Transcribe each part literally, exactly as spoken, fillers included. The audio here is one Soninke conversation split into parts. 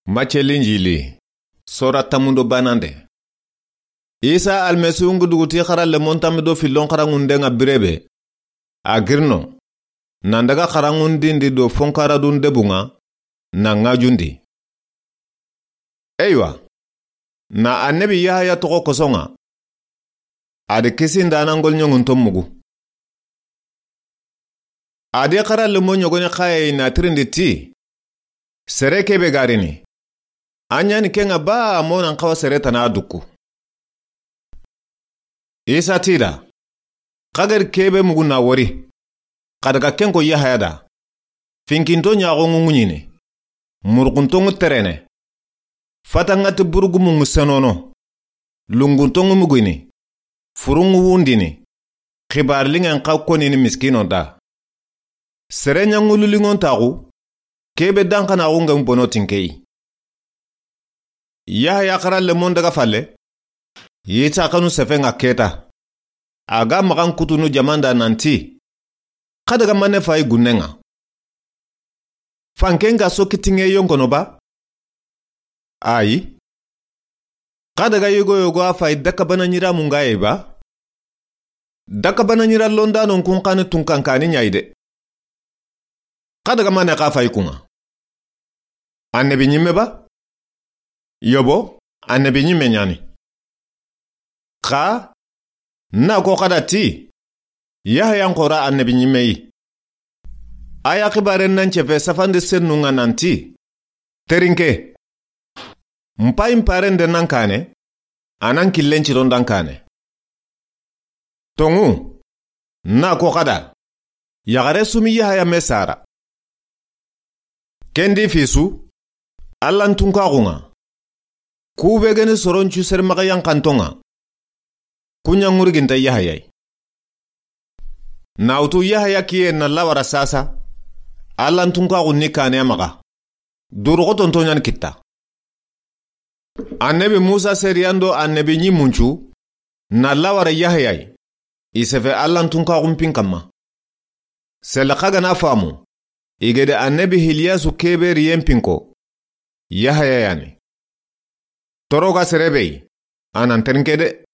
Macce Linjili, sora tanmu do banande. Isa Almasihu ngi duguti xara lemon tanmi do fillon xaranŋunden ŋa birebe. A girino, nan daga xaranŋundindi do fonkaradun debun ŋa, na ŋajundi. Eywa, na annabi Yahaya toxo koson ŋa, a di kisi ndanangol ɲoŋunton mugu. A di xara lemo ɲogoni xaye na tirindi ti, sere kebe garini. A ɲani ken ŋa ba mo nan xawa sere tana dukku. Isa tida, xagari kebe mugu na wori. Xa daga ken ko Yahaya da. Finkinto ɲaxo ŋuŋuɲini. Murxunto ŋu terene. Fatangati burugumu ŋu senono. Lungunto ŋu mugini. Furunŋu wundini. Xibar liŋen xa konini miskino da. Sere ɲaŋululiŋon taxu. Kebe danxanaxu ŋen bono tinkeyi. Yahaya xara lemon daga falle. Yita xanu sefen ŋa keta. A ga maxan kutunu jamanda nanti. Xa daga mane fayi gunnen ŋa. Fanken ga soki tinŋe yonkono ba? Ayi. Xa daga yogo yogo a fayi dakabana ɲiramun ga ye ba? Dakabana ɲira londanon kun xani tunkankani ɲayi de. Xa daga mane xa fayi kun ŋa? Annabi ɲimme ba? Yobo, annabi ɲimme ɲani. Xa, na ko xada ti, Yahaya n xora annabi ɲimme yi. A ya xibaren nan cefe safande sennun ŋa nanti, terinke. N payi n paren de nan kane, a nan killen ciron dan kane. Tonŋu, na ko xada, yaxare sumi Yahaya me sara. Kendi fisu, Alla n tunkaxun ŋa. Kube geni soron cu sere maxa yankanton ŋa. Kuɲa ŋurginta Yahaya yi. Na wutu Yahaya kiye na lawara sasa. Alla n tunkaxun ni kane maxa. Duruxotonto ɲani kitta. Annabi Musa seriyan do annabi ɲimmuncu na lawara Yahaya yi. I sefe Alla n tunkaxun pin kanma. Sele xa gana famu, i gede annabi Hiliyasu kebe riyen pin ko, Yahaya yani. Toro ga sere be yi, a nan terinke de.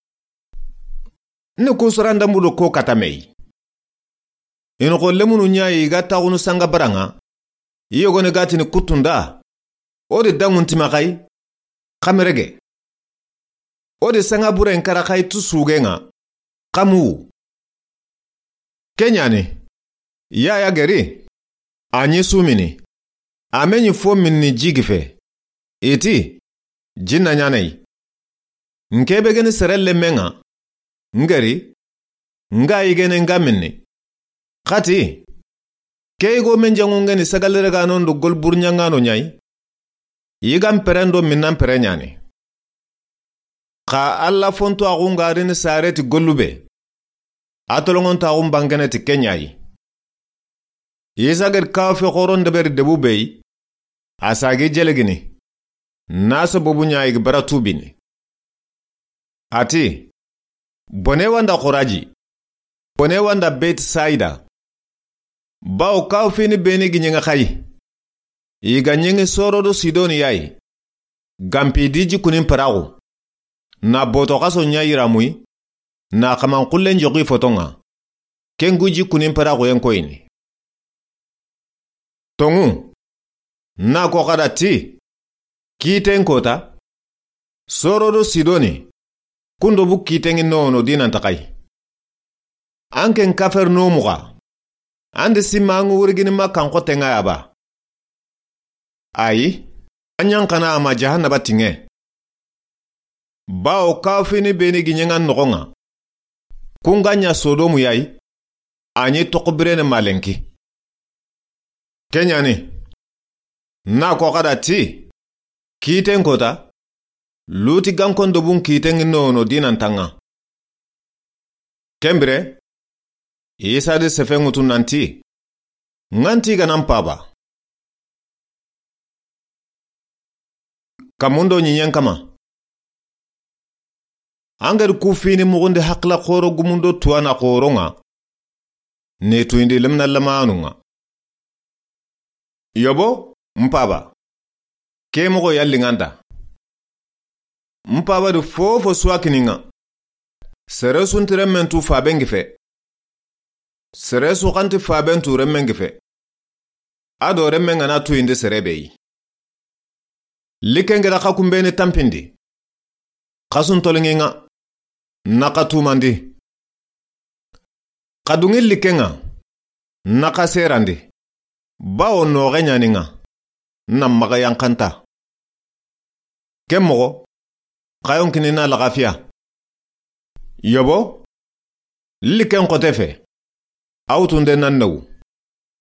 Ni ku sorandambu do ko kata me yi. I noxo lemunu ɲa yi ga taxunu sanga baranŋa, i yogoni gatini kutunda, o di danŋun tima xayi, xamerege. O di sanga buren kara xayi tu sugen ŋa, xamu. Ke ɲani, Yahaya geri, a ɲi sumini, a me ɲi fo minni jigi fe. I ti, jinna ɲana yi. N kebe geni sere lemmen ŋa, n geri, n ga yigene n ga minni. Xati, ke yigo men jaŋu ngeni sagalere gano ndo gol burɲangano ɲayi. Yigan peren do minnan pere ɲani. Xa Alla fonto axun garini sareti gollube. A tolonŋontaxun bangene ti ke ɲayi. Isa gedi kawa fi xoron deberi debu be yi, a sagi jelegini, na sababu ɲa i gi bara tubini. A ti, bone wanda Xoraji, bone wanda Beti Saida. Bawo kawa fini beni gi ɲeŋe xayi. I ga ɲeŋi Soro do Sidoni yayi. Gampi di jikunin peraxu. Na boto xaso ɲa yiramuyi. Na xaman xullen joxi foton ŋa. Ken gu jikunin peraxuyen koyini. Tonŋu, na ko xada ti, kiten kota, Soro do Sidoni, kundo bu kiten ŋi nono dinanta xayi. An ken Kafernomu xa, an di simma an ŋu wurigini ma kan xoten ŋa ya ba? Ayi, an ɲan xana a ma jahannaba tinŋe. Bawo kawa fini beni gi ɲeŋan noxon ŋa. Kun ga ɲa Sodomu yayi, a ɲi toxo birene malenki. Ke ɲani, na ko xada ti, kiten kota, Luti gankon dobun kiten ŋi nono dinantan ŋa. Ken bire, Isa di sefen ŋutu nanti, ŋanti ga nan paba. Kamundo ɲiɲen kama. An gedi ku fini muxundi haxila xoro gumundo tuwana xoron ŋa. Ne tuyindi lemina lamanu ŋa. Yobo, n paba. Ke moxo ya liŋa nda. N paaba di fofo su wa kini ŋa. Sere su nti renmen tu faaben ŋa fe. Sere su xa nti faaben tu renmen ŋa fe. A do renmen ga na tuyindi sere be yi. Likken ga da xa kunbeni tanpindi, xa su ntoliŋi ŋa, na xa tumandi. Xa duŋi likken ŋa, na xa serandi. Bawo noxe ɲa ni ŋa, na maxa yanqanta. Ken moxo, xa yonkini na laxafiya. Yobo, likken xote fe, a wutunde nan newu.